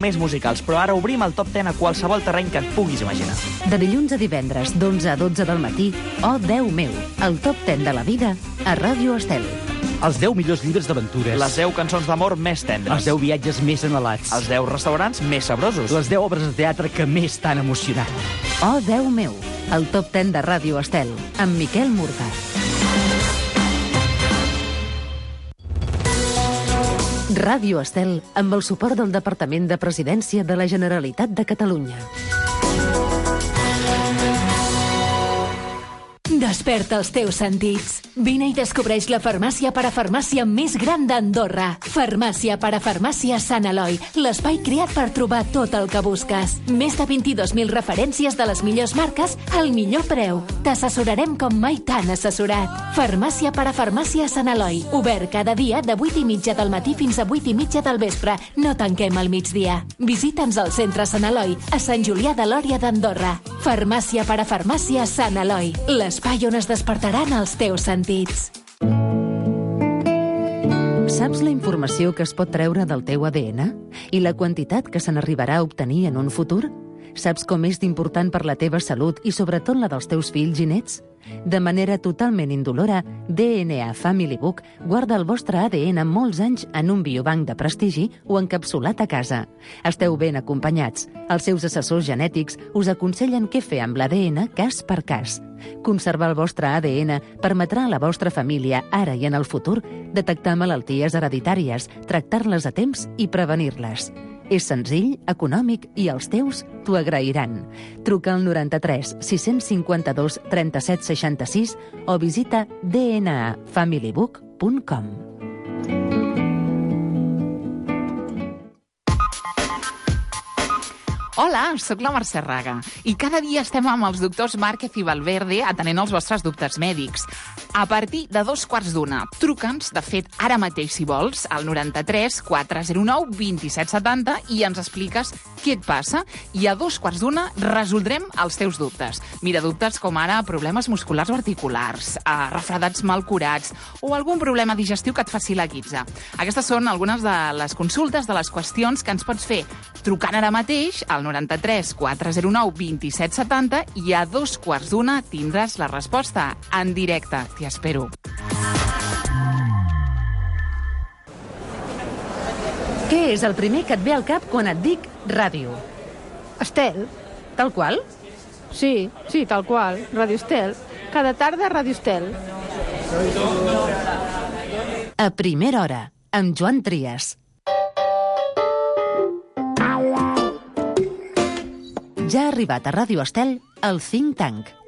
més musicals, però ara obrim el top 10 a qualsevol terreny que et puguis imaginar. De dilluns a divendres, d'11 a 12 del matí, Oh, Déu meu, el top 10 de la vida a Ràdio Estel. Els 10 millors llibres d'aventures. Les 10 cançons d'amor més tendres. Els 10 viatges més anhelats. Els 10 restaurants més sabrosos. Les 10 obres de teatre que més t'han emocionat. Oh, Déu meu, el top 10 de Ràdio Estel, amb Miquel Murga. Ràdio Estel, amb el suport del Departament de Presidència de la Generalitat de Catalunya. Desperta els teus sentits. Vine i descobreix la farmàcia parafarmàcia més gran d'Andorra. Farmàcia parafarmàcia Sant Eloi, l'espai creat per trobar tot el que busques. Més de 22.000 referències de les millors marques al millor preu. T'assessorarem com mai t'han assessorat. Farmàcia parafarmàcia Sant Eloi, obert cada dia de 8:30 del matí fins a 8:30 del vespre. No tanquem al migdia. Visita'ns al centre Sant Eloi, a Sant Julià de Lòria d'Andorra. Farmàcia parafarmàcia Sant Eloi, l'espai on es despertaran els teus sentits. Saps la informació que es pot treure del teu ADN? I la quantitat que se n'arribarà a obtenir en un futur? Saps com és d'important per la teva salut i sobretot la dels teus fills i nets? De manera totalment indolora, DNA Family Book guarda el vostre ADN molts anys en un biobanc de prestigi o encapsulat a casa. Esteu ben acompanyats. Els seus assessors genètics us aconsellen què fer amb l'ADN cas per cas. Conservar el vostre ADN permetrà a la vostra família, ara i en el futur, detectar malalties hereditàries, tractar-les a temps i prevenir-les. És senzill, econòmic i els teus t'ho agrairan. Truca al 93 652 37 66 o visita dnafamilybook.com. Hola, sóc la Mercè Raga i cada dia estem amb els doctors Márquez i Valverde atenent els vostres dubtes mèdics. A partir de 2:15, truca'ns, de fet, ara mateix si vols, al 93 409 2770 i ens expliques què et passa i a 2:15 resoldrem els teus dubtes. Mira, dubtes com ara problemes musculars o articulars, refredats mal curats o algun problema digestiu que et faci la guitza. Aquestes són algunes de les consultes, de les qüestions que ens pots fer trucant ara mateix al 93 409 2770 i a 2:15 tindràs la resposta en directe. T'hi espero. Què és el primer que et ve al cap quan et dic ràdio? Estel. Tal qual? Sí, tal qual. Ràdio Estel. Cada tarda Ràdio Estel. A primera hora, amb Joan Trias. Ja ha arribat a Ràdio Estel el Think Tank.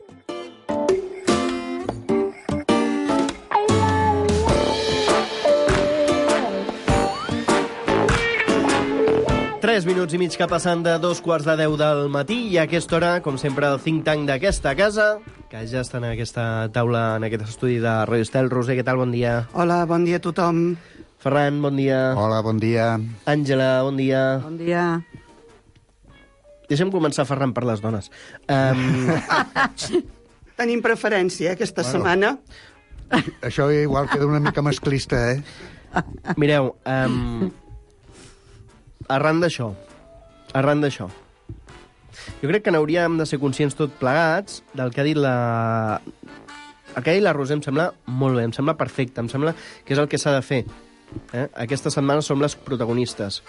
Tres minuts i mig que passen de 2:15 del matí i a aquesta hora, com sempre, el Think Tank d'aquesta casa, que ja està en aquesta taula, en aquest estudi de Ràdio Estel. Roser, què tal? Bon dia. Hola, bon dia a tothom. Ferran, bon dia. Hola, bon dia. Àngela, bon dia. Bon dia. Deixa'm començar, Ferran, per les dones. Tenim preferència aquesta setmana. Això igual queda una mica masclista, eh? Mireu, arran d'això, jo crec que n'hauríem de ser conscients tot plegats del que ha dit la Roser. Em sembla molt bé, em sembla perfecte, em sembla que és el que s'ha de fer. Aquesta setmana som les protagonistes.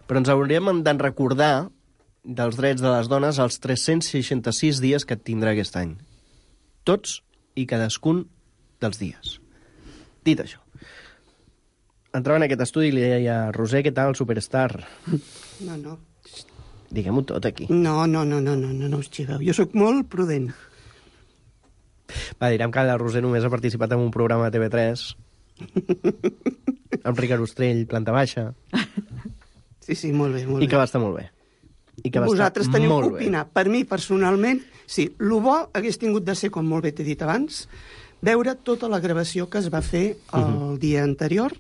Però ens hauríem de recordar dels drets de les dones els 366 dies que et tindrà aquest any. Tots i cadascun dels dies. Dit això, entrava en aquest estudi i li deia: Roser, què tal, superstar? No. Diguem-ho tot aquí. No us xiveu. Jo sóc molt prudent. Va, direm que la Roser només ha participat en un programa de TV3 amb Ricard Ostrell, Planta Baixa. Sí, molt bé. I que va estar molt bé. Vosaltres teniu que opinar. Per mi, personalment, sí, el bo hagués tingut de ser, com molt bé t'he dit abans, veure tota la gravació que es va fer el dia anterior,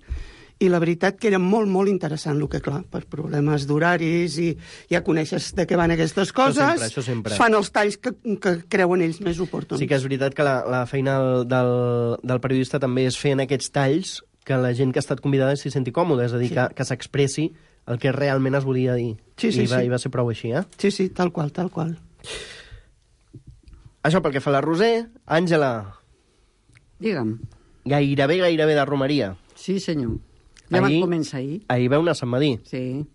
i la veritat que era molt, molt interessant, el que, clar, per problemes d'horaris, i ja coneixes de què van aquestes coses, això sempre. Fan els talls que creuen ells més oportuns. Sí que és veritat que la feina del periodista també és fer en aquests talls que la gent que ha estat convidada s'hi senti còmoda, és a dir, que s'expressi el que realment es volia dir. Sí. I va ser prou així, eh? Sí, tal qual. Això pel que fa a la Roser. Àngela, Digue'm. gairebé de romeria. Sí, senyor. Ja van començar ahir. Ahir veu anar a Sant Madí. Sí.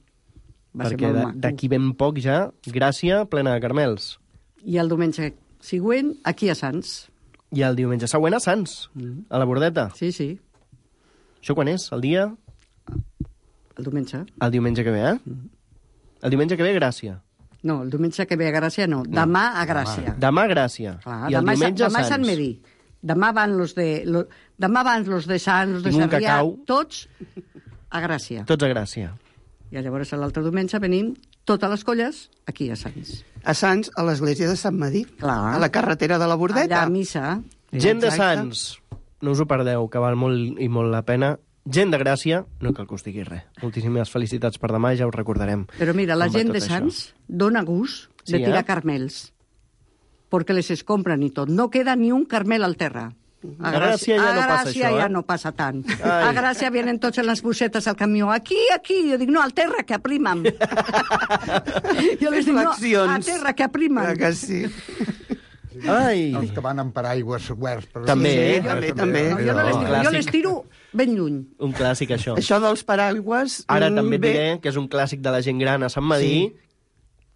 Va ser Perquè molt maco. d'aquí ben poc ja, Gràcia plena de carmels. I el diumenge següent, aquí a Sants. I el diumenge següent a Sants, a la Bordeta. Sí. Això quan és? El dia? El diumenge. El diumenge que ve, eh? El diumenge que ve, Gràcia. No, el diumenge que ve a Gràcia no. Demà a Gràcia. Demà a Gràcia. Clar, I el diumenge a demà Sants. Sant Medí. Demà van los de Sants, los de Tinc un Sarrià, cacau. tots a Gràcia. Tots a Gràcia. I llavors l'altre diumenge venim totes les colles aquí a Sants. A Sants, a l'església de Sant Madí. Clar. A la carretera de la Bordeta. Allà a missa. Gent de Exacte. Sants, no us ho perdeu, que val molt i molt la pena. Gent de Gràcia, no cal que us digui res. Moltíssimes felicitats per demà, ja us recordarem. Però mira, la com va gent tot de això. Sants dona gust de Sí, tirar eh? carmels, perquè les es compren i tot. No queda ni un carmel al terra. A Gràcia ja no passa Gràcia això, ja eh? no passa tant. Ai. A Gràcia vienen tots en les bussetes al camió. Aquí. Jo dic, no, al terra, que aprima'm. Jo les dic, no, a Flexions. terra, que aprima'm. Que sí. Ai! Els que van amb paraigües oberts. Per També, Sí, també. No, jo no les dic, jo Clàssic. les tiro ben lluny. Un clàssic, això. Això dels paraigües... Ara també et bé, diré que és un clàssic de la gent gran a Sant Madí,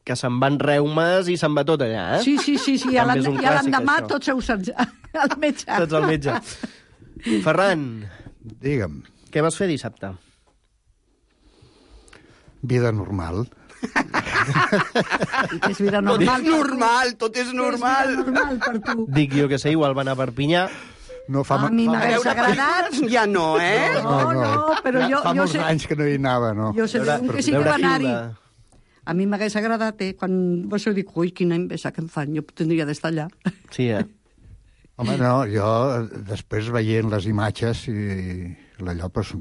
que se'n van reumes i se'n va tot allà, eh? Sí. I També és un a clàssic, l'endemà això. tots seus al metge. Tots al metge. Ferran, Digue'm, què vas fer dissabte? vida normal. És vida normal. Tot és normal. És vida normal per tu. Dic jo que sé, igual van a Perpinyà. No fa, A mi fa, m'hagués agradat. Ja no, eh? No, però jo fa molts sé... anys que no hi anava, no? Jo sé Veure- un que sí que veure va anar-hi. Hilda. A mi m'hagués agradat, quan vas dir, ui, quina enveja que em fan, jo tindria d'estar allà. Sí, eh? Home, no, jo després veient les imatges i allò, pues,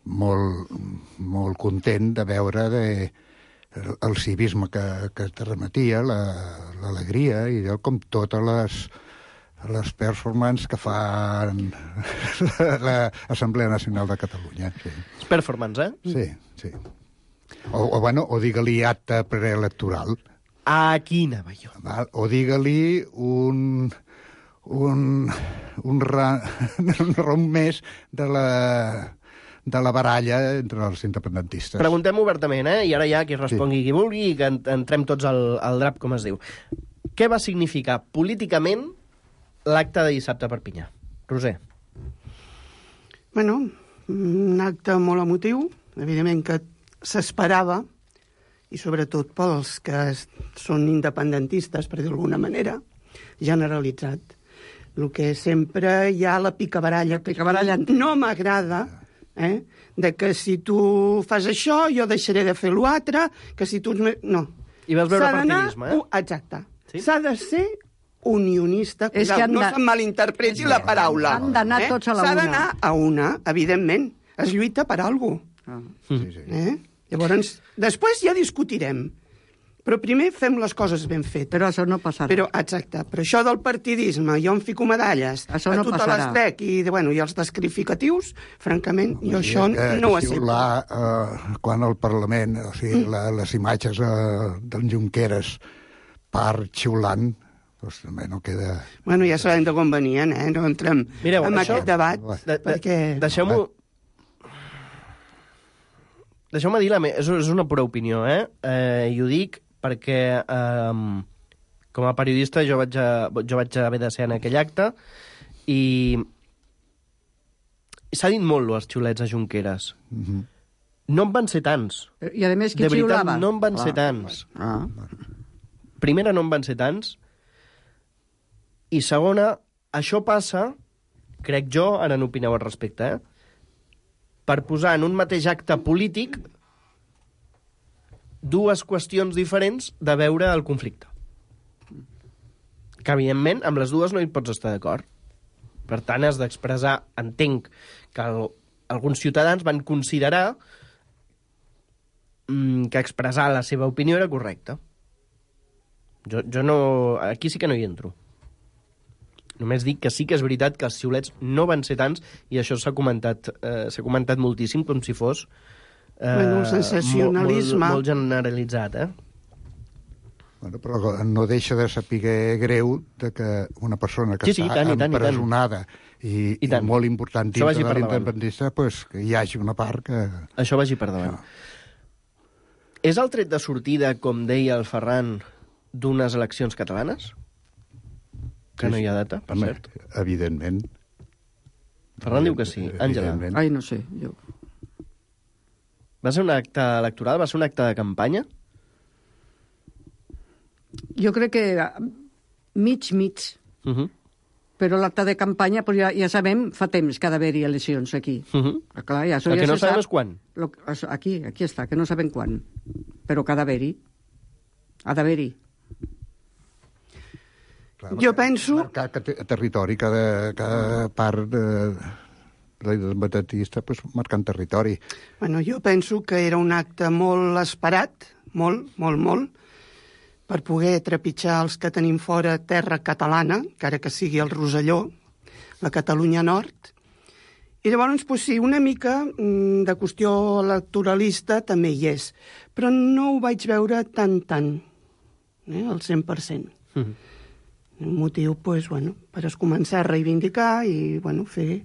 molt content de veure el civisme que te remetia, l'alegria i allò, com totes les performances que fan l'Assemblea Nacional de Catalunya. Sí, Performance, eh? sí. O digue-li acte preelectoral. Aquí anava jo. Val? O digue-li un rom més de la baralla entre els independentistes. Preguntem obertament, eh? I ara ja qui respongui qui vulgui i que entrem tots al drap, com es diu. Què va significar políticament l'acte de dissabte a Perpinyà? Roser. Bueno, un acte molt emotiu, evidentment que s'esperava, i sobretot pels que són independentistes, per dir d'alguna manera, generalitzat. El que sempre hi ha la picabaralla. No m'agrada, de que si tu fas això, jo deixaré de fer l'altre, que si tu... No. I vas veure partidisme, eh? Exacte. Sí? S'ha de ser unionista. És que no se'n malinterpreti la paraula. Han d'anar tots a la una. S'ha d'anar a una, evidentment. Es lluita per alguna cosa. Sí. Llavors, després ja discutirem. Però primer fem les coses ben fetes. Però això no passarà. Exacte. Però això del partidisme, jo em fico medalles això a no totes les dec i els descrificatius, francament, jo això no ho accepto. Quan al Parlament, o sigui, les imatges d'en Junqueras xiulant, doncs també no queda... Bueno, ja sabem de com venien, no entrem en aquest debat, perquè... Deixeu-me dir, és una pura opinió, i ho dic perquè com a periodista jo vaig haver de ser en aquell acte i s'ha dit molt els xiulets a Junqueras. No en van ser tants. I a més, qui de veritat, xiulava? no en van ser tants. Primera, no en van ser tants. I segona, això passa, crec jo, ara n'opineu al respecte, per posar en un mateix acte polític dues qüestions diferents de veure el conflicte. Que, evidentment, amb les dues no hi pots estar d'acord. Per tant, has d'expressar, entenc que alguns ciutadans van considerar que expressar la seva opinió era correcta. Jo no... Aquí sí que no hi entro. Només dic que sí que és veritat que els xiulets no van ser tants i això s'ha comentat moltíssim, com si fos el sensacionalisme. Molt generalitzat, Bueno, però no deixa de saber greu de que una persona que està empresonada i molt important dins de l'independentista, pues, que hi hagi una part que... Això vagi per davant. És el tret de sortida, com deia el Ferran, d'unes eleccions catalanes? Que no hi ha data, per cert? Evidentment. Ferran diu que sí. Àngela? Ai, no sé, jo... Va ser un acte electoral? Va ser un acte de campanya? Jo crec que mig. Però l'acte de campanya, pues ja sabem, fa temps que ha d'haver-hi eleccions aquí. Clar, ja, el que no sabem és quan. Aquí està, que no sabem quan. Però que ha d'haver-hi. Ha d'haver-hi. Jo penso... Marcar territori, cada part de l'independentista, pues, marcant territori. Bueno, jo penso que era un acte molt esperat, molt, per poder trepitjar els que tenim fora terra catalana, encara que sigui el Rosselló, la Catalunya Nord. I llavors, pues, sí, una mica de qüestió electoralista també hi és, però no ho vaig veure tant, al 100%. Un motiu, pues, bueno, per es començar a reivindicar i, bueno, fer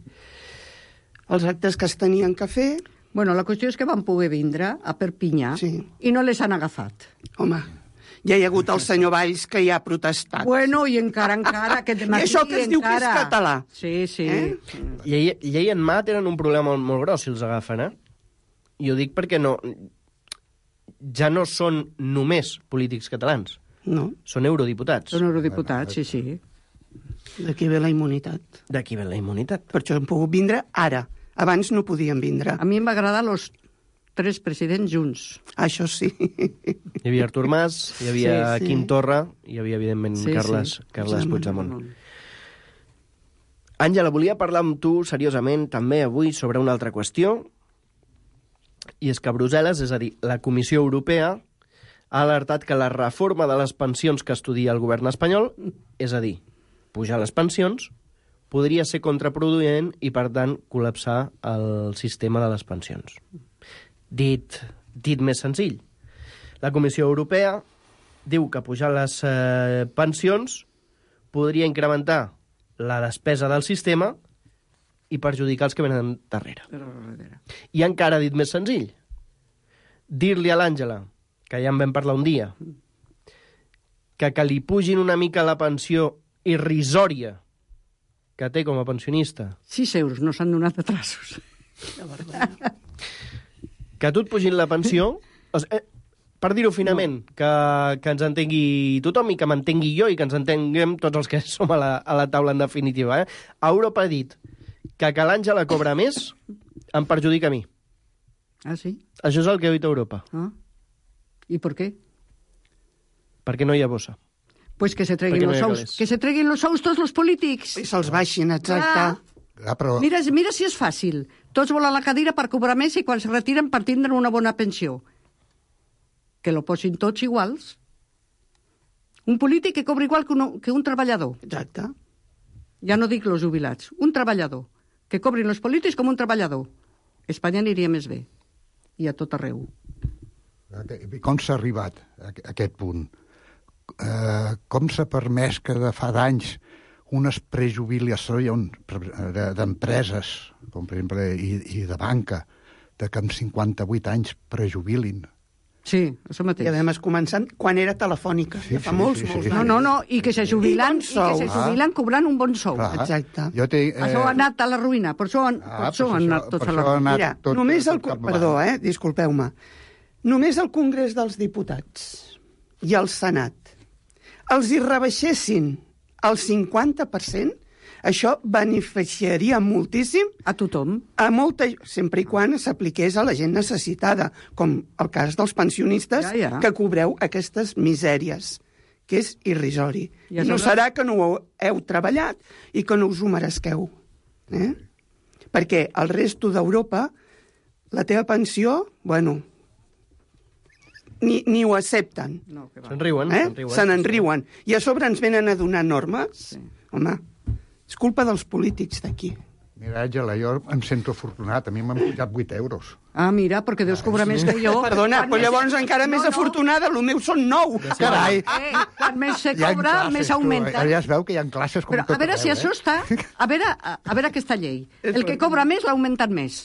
els actes que es tenien que fer. Bueno, la qüestió és que van poder vindre a Perpinyà i no les han agafat. Home, ja hi ha hagut el senyor Valls que hi ha protestat. Bueno, i encara, aquest dematí... I això que es diu que és català. Sí. Llei en mà tenen un problema molt gros si els agafen, I ho dic perquè ja no són només polítics catalans. No. Són eurodiputats. Són eurodiputats, sí. D'aquí ve la immunitat. Per això han pogut vindre ara. Abans no podien vindre. A mi em va agradar els 3 presidents junts. Això sí. Hi havia Artur Mas, hi havia Quim Torra, hi havia, evidentment, Carles Puigdemont. Àngela, volia parlar amb tu seriosament també avui sobre una altra qüestió, i és que Brussel·les, és a dir, la Comissió Europea, ha alertat que la reforma de les pensions que estudia el govern espanyol, és a dir, pujar les pensions, podria ser contraproduent i, per tant, col·lapsar el sistema de les pensions. Dit més senzill, la Comissió Europea diu que pujar les pensions podria incrementar la despesa del sistema i perjudicar els que venen darrere. I encara dit més senzill, dir-li a l'Àngela, que ja en vam parlar un dia, que li pugin una mica la pensió irrisòria que té com a pensionista. 6 euros no s'han donat a traços. Que a tu et pugin la pensió, per dir-ho finament, que ens entengui tothom i que m'entengui jo i que ens entenguem tots els que som a la taula en definitiva. Europa ha dit que l'Àngela cobra més em perjudica a mi. Ah, sí? Això és el que ha dit Europa. ¿Y por qué? Perquè no hi ha bossa. Pues que se treguin los sous. Que se treguin los sous tots els polítics. I se'ls baixin, exacte. Però... Mira si és fàcil. Tots volen la cadira per cobrar més i quan se retiren per tindre una bona pensió. Que lo posin tots iguals. Un polític que cobra igual que un treballador. Exacte. Ja no dic los jubilats. Un treballador. Que cobrin els polítics com un treballador. Espanya aniria més bé. I a tot arreu. Com s'ha arribat a aquest punt? Com s'ha permès que de fa d'anys unes prejubilacions d'empreses, com per exemple, i de banca, de que amb 58 anys prejubilin? Sí, això mateix. I a més començant quan era telefònica, fa molts anys. No, i que se jubilen cobrant un bon sou. Exacte. Això ha anat a la ruïna, per això han anat tots a la ruïna. Mira, només perdó, disculpeu-me. Només el Congrés dels Diputats i el Senat els hi rebaixessin el 50%, això beneficiaria moltíssim a tothom, sempre i quan s'apliqués a la gent necessitada, com el cas dels pensionistes que cobreu aquestes misèries, que és irrisori. No serà que no ho heu treballat i que no us ho meresqueu. Perquè al resto d'Europa la teva pensió, bueno, ni ho accepten. Se'n riuen. Se n'enriuen. I a sobre ens venen a donar normes. Home, és culpa dels polítics d'aquí. Mira, Àngela, jo em sento afortunat. A mi m'han pujat 8 euros. Ah, mira, perquè deus cobrar més que jo. Perdona, però llavors encara més afortunada, el meu són 9. Carai! Quan més se cobra, més augmenta. Ja es veu que hi ha classes com però tot a veure si això està... A veure aquesta llei. El que cobra més l'ha augmentat més.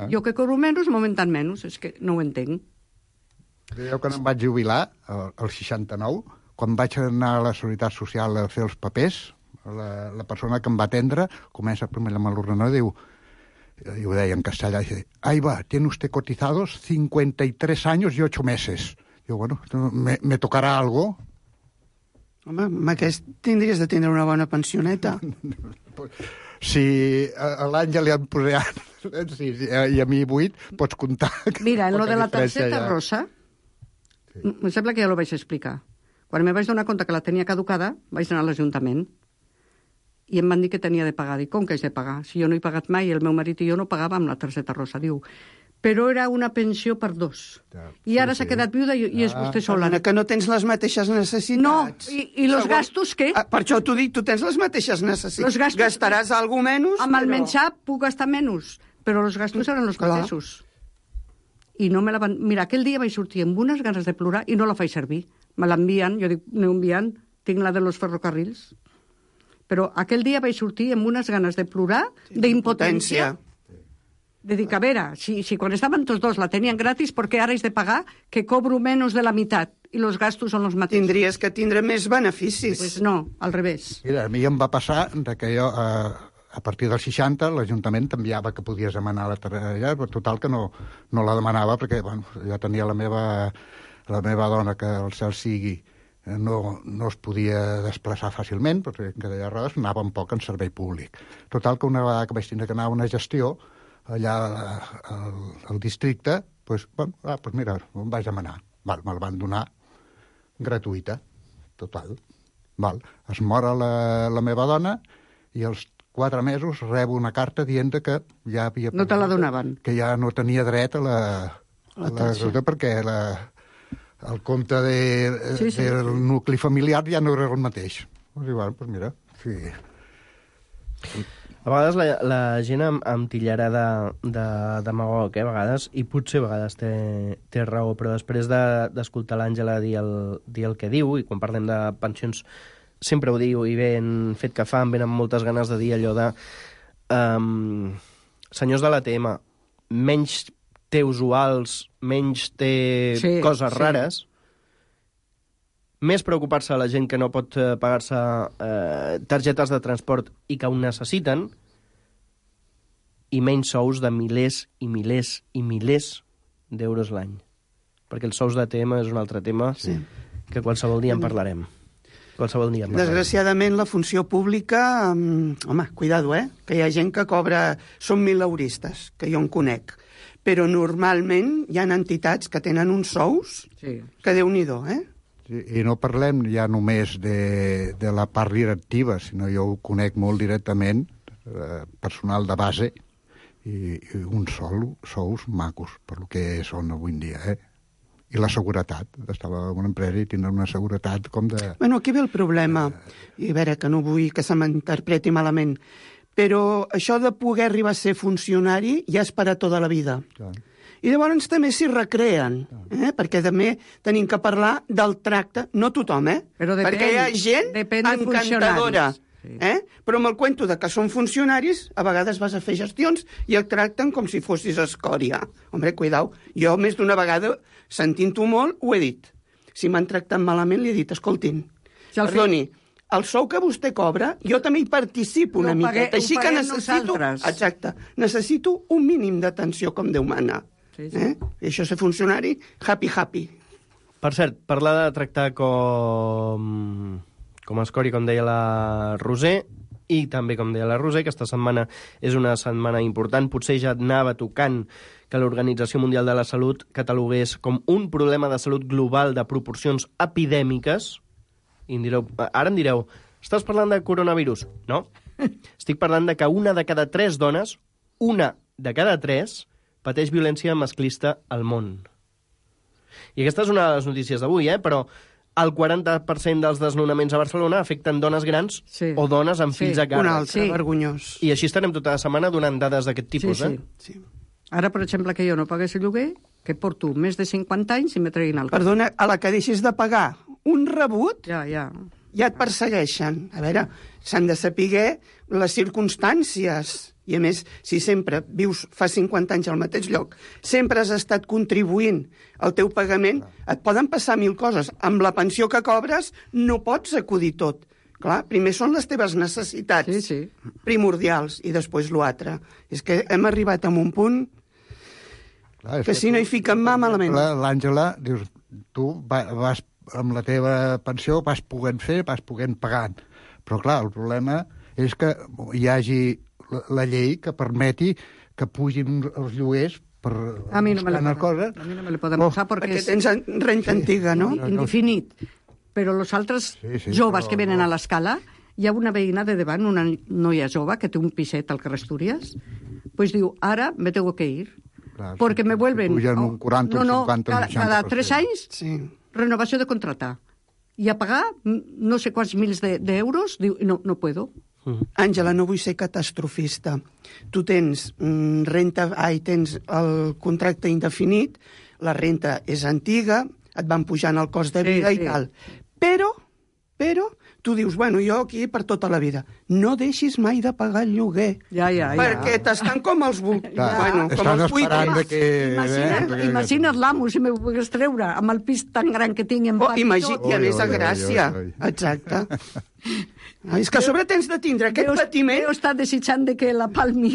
Jo que cobro menys m'ha augmentat menys. És que no ho entenc. Jo quan em vaig jubilar, al 69, quan vaig anar a la Seguretat Social a fer els papers, la persona que em va atendre comença primer amb l'ordenador i ho deia en castellà, i dice, ahí va, tiene usted cotizados 53 años y 8 meses. Diu, bueno, me tocarà algo. Home, amb aquest tindries de tindre una bona pensioneta. Si a l'Àngel li han posat 6 i a mi 8, pots comptar. Mira, en lo de la targeta rosa, em sembla que ja ho vaig explicar. Quan me vaig donar compte que la tenia caducada, vaig anar a l'Ajuntament i em van dir que tenia de pagar. Dic, com que és de pagar? Si jo no he pagat mai, el meu marit i jo no pagàvem la targeta rosa. Diu, però era una pensió per 2. I ara s'ha quedat viuda i és vostè sola. Que no tens les mateixes necessitats. No, i els gastos què? Per això t'ho dic, tu tens les mateixes necessitats. Gastaràs alguna menys? Amb el menjar puc gastar menys, però els gastos eren els mateixos. I no me la van... Mira, aquell dia vaig sortir amb unes ganes de plorar i no la faig servir. Me l'envien, jo dic, no envien, tinc la de los ferrocarrils. Però aquell dia vaig sortir amb unes ganes de plorar, d'impotència. De dir que, a veure, si quan estaven tots dos la tenien gratis, perquè ara és de pagar que cobro menys de la meitat i els gastos són els mateixos. Tindries que tindre més beneficis. Pues no, al revés. Mira, a mi em va passar que jo... A partir dels 60, l'Ajuntament t'enviava que podies demanar la targeta, però total que no la demanava, perquè bueno, jo tenia la meva dona, que el cel sigui, no es podia desplaçar fàcilment, perquè en cadira de rodes anava un poc en servei públic. Total que una vegada que vaig tindre que anar a una gestió, allà al districte, doncs, mira, em vaig demanar. Me'l van donar gratuïta, total. Es mor la meva dona i els 4 mesos rebo una carta dient que ja havia... No te la donaven. Que ja no tenia dret a la ajuda perquè el compte del nucli familiar ja no era el mateix. Doncs mira, sí. A vegades la gent em tillarà de demagog, a vegades, i potser a vegades té raó, però després d'escoltar l'Àngela dir el que diu, i quan parlem de pensions sempre ho diu, i ben fet que fan, ben amb moltes ganes de dir allò de senyors de l'ATM, menys té usuals, menys té coses rares, més preocupar-se a la gent que no pot pagar-se targetes de transport i que ho necessiten, i menys sous de milers i milers i milers d'euros l'any. Perquè els sous d'ATM és un altre tema que qualsevol dia en parlarem. Desgraciadament, la funció pública... home, cuidado, que hi ha gent que cobra... Són mileuristes, que jo en conec. Però normalment hi ha entitats que tenen uns sous que Déu-n'hi-do, I no parlem ja només de la part directiva, sinó jo ho conec molt directament, personal de base, i uns sous macos, per lo que són avui en dia, I la seguretat, d'estar en una empresa i tindre una seguretat com de... Bueno, aquí ve el problema, i a veure, que no vull que se m'interpreti malament, però això de poder arribar a ser funcionari ja és per a tota la vida. Clar. I llavors també s'hi recreen, perquè també tenim que parlar del tracte, no tothom, però depèn, perquè hi ha gent encantadora, però amb el cuento de que són funcionaris, a vegades vas a fer gestions i el tracten com si fossis escòria. Hombre, cuidao, jo més d'una vegada, sentint-ho molt, ho he dit. Si m'han tractat malament, li he dit, escoltin, perdoni, el sou que vostè cobra, jo també hi participo una miqueta, així que necessito un mínim d'atenció com Déu mana. I això ser funcionari, happy. Per cert, parlar de tractar com escòria, com deia la Roser, i també, com deia la Roser, aquesta setmana és una setmana important. Potser ja anava tocant que l'Organització Mundial de la Salut catalogués com un problema de salut global de proporcions epidèmiques. I ara em direu, estàs parlant de coronavirus? No. Estic parlant de que una de cada 3 dones, pateix violència masclista al món. I aquesta és una de les notícies d'avui, però el 40% dels desnonaments a Barcelona afecten dones grans o dones amb fills a càrrec. Un altre, vergonyós. I així estarem tota la setmana donant dades d'aquest tipus, Sí. Ara, per exemple, que jo no pagués el lloguer, que porto més de 50 anys i me treguin el... Perdona, a la que deixis de pagar un rebut, ja et persegueixen. A veure, s'han de saber les circumstàncies. I a més, si sempre vius fa 50 anys al mateix lloc, sempre has estat contribuint al teu pagament, et poden passar 1000 coses. Amb la pensió que cobres no pots acudir tot. Clar, primer són les teves necessitats primordials i després l'altre. És que hem arribat a un punt que si no hi fiquen mà, malament. L'Àngela, dius, tu vas amb la teva pensió, vas podent pagar. Però clar, el problema és que hi hagi la llei que permeti que pugin els lloguers per... A mi no me li poden posar perquè tens renta antiga, no? Indefinit. Però els altres joves que venen a l'escala, hi ha una veïna de davant, una noia jove que té un piset al carrer Astúries, pues diu, ara me tengo que ir, porque me vuelven... Pugen un 40, un 50, un 60%. Cada 3 anys, renovació de contratar. I a pagar no sé quants mils d'euros, diu, no puedo. Àngela, no vull ser catastrofista. Tu tens tens el contracte indefinit, la renta és antiga, et van pujant el cost de vida i tal. Però tu dius, bueno, jo aquí per tota la vida. No deixis mai de pagar el lloguer. Perquè t'estan com els buitres. Imagina't l'amo, si m'ho pogués treure, amb el pis tan gran que tinc en pati. Imagina't, i a més a Gràcia. Exacte. És que a sobre tens de tindre aquest patiment... Heu estat desitjant de que la palmi...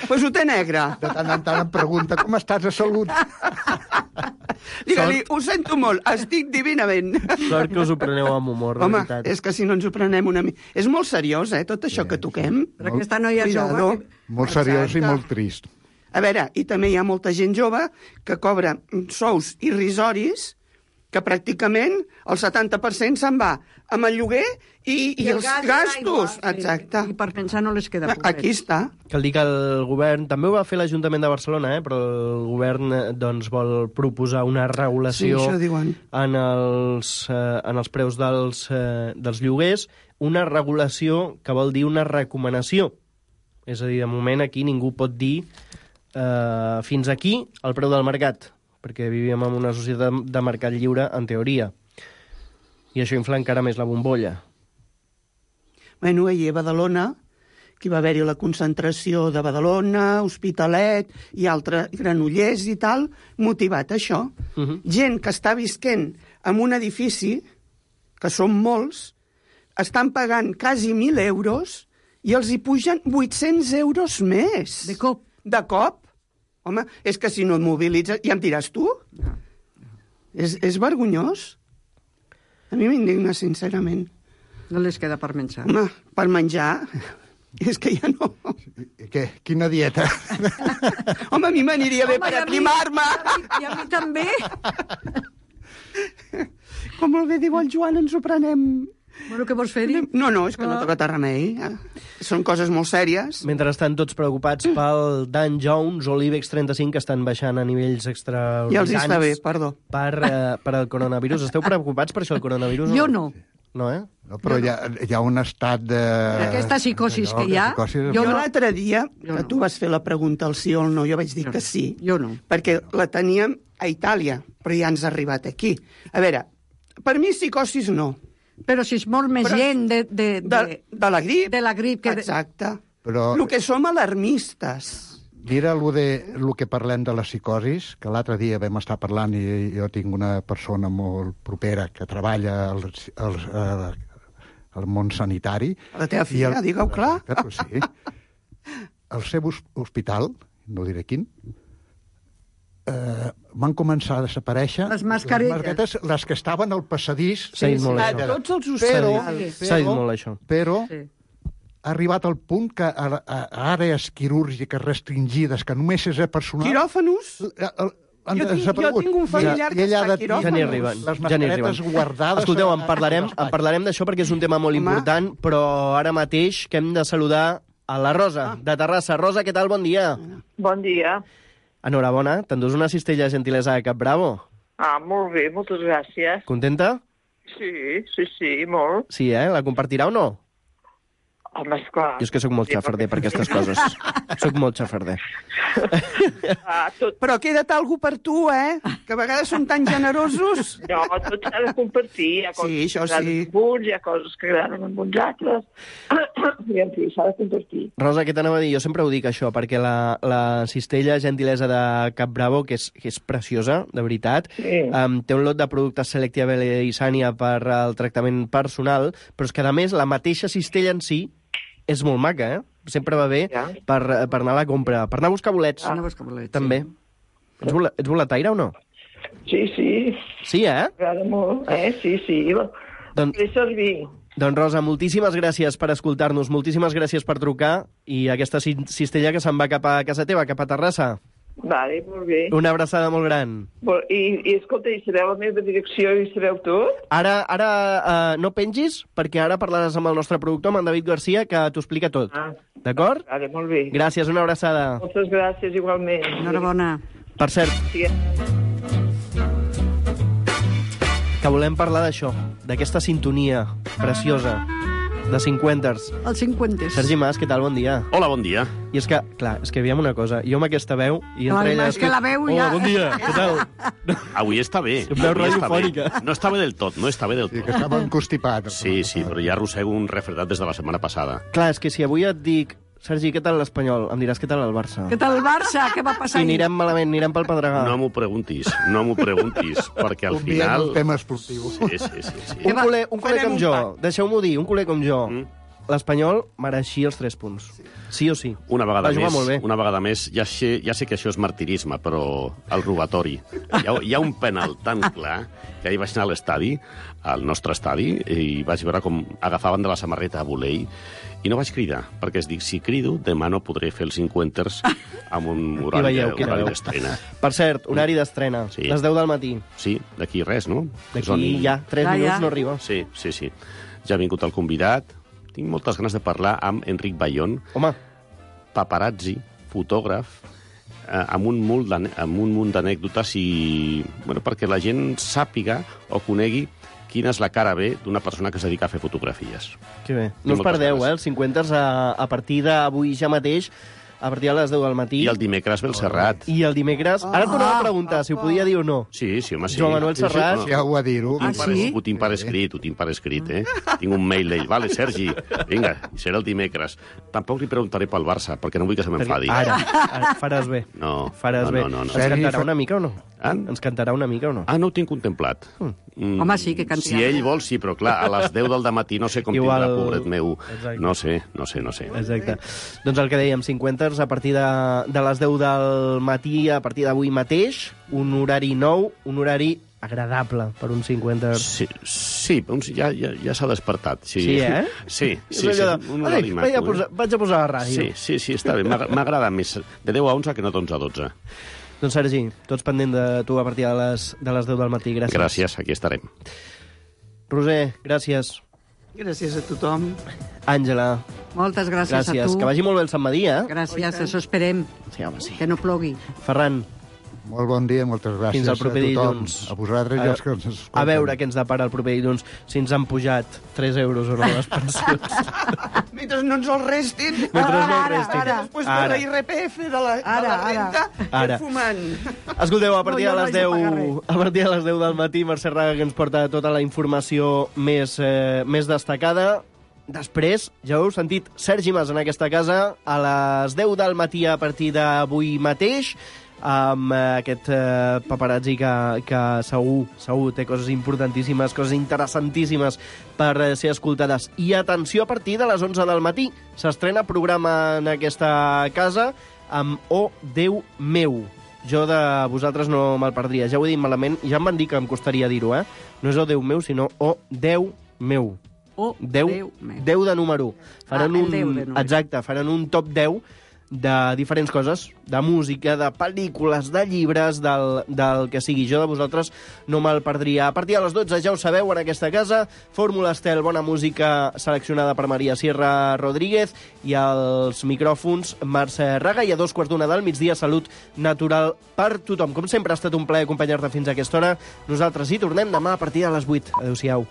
Pues ho té negre. De tant en tant em pregunta, com estàs de salut? Digue-li, ho sento molt, estic divinament. Sort que us ho preneu amb humor, de veritat. Home, és que si no ens ho prenem una mica... És molt seriós, tot això que toquem. Però aquesta noia jove... Molt seriós i molt trist. A veure, i també hi ha molta gent jove que cobra sous irrisoris, que pràcticament el 70% se'n va amb el lloguer i els gastos. Exacte. I per pensar no les queda poquet. Aquí està. Cal dir que el govern, també ho va fer l'Ajuntament de Barcelona, però el govern vol proposar una regulació en els preus dels lloguers, una regulació que vol dir una recomanació. És a dir, de moment aquí ningú pot dir fins aquí el preu del mercat, perquè vivíem en una societat de mercat lliure, en teoria. I això infla encara més la bombolla. Bueno, ahir a Badalona, que va haver-hi la concentració de Badalona, Hospitalet i altres Granollers i tal, motivat això. Gent que està visquent en un edifici, que són molts, estan pagant quasi 1.000 euros i els hi pugen 800 euros més. De cop. De cop. Home, és que si no et mobilitzes... Ja em diràs tu? És vergonyós. A mi m'indigna, sincerament. No les queda per menjar. Home, per menjar... És que ja no... Què? Quina dieta? Home, a mi m'aniria bé per aprimar-me. I a mi també. Com molt bé diu el Joan, ens ho prenem... Bueno, què vols fer-hi? No, és que no toca remei. Són coses molt sèries. Mentrestant, tots preocupats pel Dow Jones o l'IBEX 35, que estan baixant a nivells extraordinaris. Ja els està bé, perdó. Per al coronavirus. Esteu preocupats per això, el coronavirus? Jo no. No, No, però hi ha un estat de... Aquesta psicosis que hi ha... Jo l'altre dia, que tu vas fer la pregunta al sí o el no, jo vaig dir que sí. Jo no. Perquè la teníem a Itàlia, però ja ens ha arribat aquí. A veure, per mi psicosis no. Però si és molt més gent de la grip. De la grip. Exacte. Però... El que som alarmistes. Mira el que parlem de la psicosis, que l'altre dia vam estar parlant i jo tinc una persona molt propera que treballa al món sanitari. La teva filla, digue-ho clar. Sí. El seu hospital, no diré quin, van començar a desaparèixer les mascaretes, les que estaven al passadís. S'ha dit molt això. Tots els hospitals. S'ha dit molt això. Però ha arribat al punt que a àrees quirúrgiques restringides, que només és personal... Quiròfanos? Han Jo desaparegut. tinc un familiar que està a quiròfanos. Ja n'hi arriben. Les mascaretes guardades... Escolteu, en parlarem d'això perquè és un tema molt important, però ara mateix que hem de saludar a la Rosa, de Terrassa. Rosa, què tal? Bon dia. Bon dia. Enhorabona, t'endús una cistella de gentilesa de Cap Bravo? Molt bé, moltes gràcies. Contenta? Sí, molt. Sí, La compartirà o no? Home, esclar. Jo és que sóc molt xafarder per aquestes coses. Sóc molt xafarder. Però queda't algú per tu, que a vegades són tan generosos. No, tot s'ha de compartir. Hi ha coses això que agraden amb uns, hi ha coses que agraden amb uns altres. I en fi, s'ha de compartir. Rosa, què t'anava a dir? Jo sempre ho dic, això, perquè la cistella gentilesa de Cap Bravo, que és preciosa, de veritat, té un lot de productes Selectiable i Sània per al tractament personal, però és que, a més, la mateixa cistella en si és molt maca, Sempre va bé per anar a la compra, per anar a buscar bolets. També. Ets boletaire o no? Sí. Sí, M'agrada molt, Sí. Doncs, Rosa, moltíssimes gràcies per escoltar-nos, moltíssimes gràcies per trucar, i aquesta cistella que se'n va cap a casa teva, cap a Terrassa. Vale, molt bé. Una abraçada molt gran. I escolta, i sabeu la meva direcció i sabeu tot? Ara no pengis, perquè ara parlaràs amb el nostre productor, amb en David Garcia, que t'ho explica tot. D'acord? Vale, molt bé. Gràcies, una abraçada. Moltes gràcies, igualment. Enhorabona. Per cert, que volem parlar d'això, d'aquesta sintonia preciosa de 50ers. Els 50ers. Sergi Mas, què tal? Bon dia. Hola, bon dia. I és que, clar, aviam una cosa, jo amb aquesta veu... I entre ella, és que la veu ja... Hola, bon dia, què tal? Avui està bé. Veu radiofònica. No està bé del tot, Sí, que estava encostipat. Sí, però ja arrossego un refredat des de la setmana passada. Clar, és que si avui et dic, Sergi, què tal l'Espanyol? Em diràs què tal el Barça. Què tal el Barça? Què va passar I ahir? anirem malament, anirem pel pedregar. No m'ho preguntis, perquè al final... el tema esportiu. Sí. Un culer com jo, deixeu-m'ho dir, un culer com jo, l'Espanyol mereixia els 3 punts. Sí o sí. Una vegada més, ja sé que això és martirisme, però el robatori. Hi ha un penal tan clar que ahir vaig anar a l'estadi, al nostre estadi, i vaig veure com agafaven de la samarreta a volei, i no vaig cridar, perquè es dic, si crido, demà no podré fer els 50ers amb un horari d'estrena. Per cert, horari d'estrena, les 10 del matí. Sí, d'aquí res, no? D'aquí ja, 3 minuts no arriba. Sí. Ja ha vingut el convidat. Tinc moltes ganes de parlar amb Enric Bayón. Home. Paparazzi, fotògraf, amb un munt d'anècdotes perquè la gent sàpiga o conegui quina és la cara B d'una persona que es dedica a fer fotografies. Que bé. No us perdeu, els 50ers a partir d'avui ja mateix, a partir de les 10 del matí. I el dimecres ve el Serrat. I el dimecres... Ara et tornava a preguntar si ho podia dir o no. Sí, home, sí. Joan Manuel Serrat. Sí, ja ho va dir-ho. Ho tinc per escrit, Tinc un mail d'ell. Vale, Sergi, vinga, serà el dimecres. Tampoc li preguntaré pel Barça, perquè no vull que se m'enfadi. Ara, faràs bé. No. Faràs bé. Ens cantarà una mica o no? Ens cantarà una mica o no? No ho tinc contemplat. Home, sí, que cantarà. Si ell vol, sí, però clar, a les 10 del matí no sé com tindrà, pobret meu. No sé. Exacte. Doncs el que dèiem, 50ers a partir de les 10 del matí, a partir d'avui mateix, un horari nou, un horari agradable per un 50ers. Sí, ja s'ha despertat. Sí, Sí. Vaig a posar la ràdio. Sí, està bé. M'agrada més de 10 a 11 que no d'11 a 12. Doncs, Sergi, tots pendent de tu a partir de les 10 del matí. Gràcies. Gràcies, aquí estarem. Roser, gràcies. Gràcies a tothom. Àngela. Moltes gràcies a tu. Que vagi molt bé el Sant Madí, Gràcies, això esperem. Sí, home, sí. Que no plogui. Ferran. Molt bon dia, moltes gràcies Fins al proper dilluns. A vosaltres i als que ens escolten. A veure què ens depara el proper dilluns, si ens han pujat 3 euros o no les pensions. Mentre no ens el restin. Ara. Després de la IRPF, de la renta, ara. fumant. Escolteu, a partir de les 10 del matí, Mercè Raga, que ens porta tota la informació més destacada. Després, ja ho heu sentit, Sergi Mas en aquesta casa, a les 10 del matí a partir d'avui mateix, amb aquest paparazzi que segur té coses importantíssimes, coses interessantíssimes per ser escoltades. I atenció, a partir de les 11 del matí s'estrena programa en aquesta casa amb Oh, Déu meu. Jo de vosaltres no me'l perdria. Ja ho he dit malament, ja em van dir que em costaria dir-ho, No és Oh, Déu meu, sinó Oh, Déu meu. Oh, Déu meu. 10 de número. el 10 de número. Exacte, faran un top 10 de diferents coses, de música, de pel·lícules, de llibres, del que sigui. Jo de vosaltres no me'l perdria. A partir de les 12, ja ho sabeu, en aquesta casa, Fórmula Estel, bona música seleccionada per Maria Sierra Rodríguez, i als micròfons Mercè Raga, i a 2:15 del migdia, Salut Natural per tothom. Com sempre, ha estat un plaer acompanyar-te fins a aquesta hora. Nosaltres hi tornem demà a partir de les 8. Adéu-siau.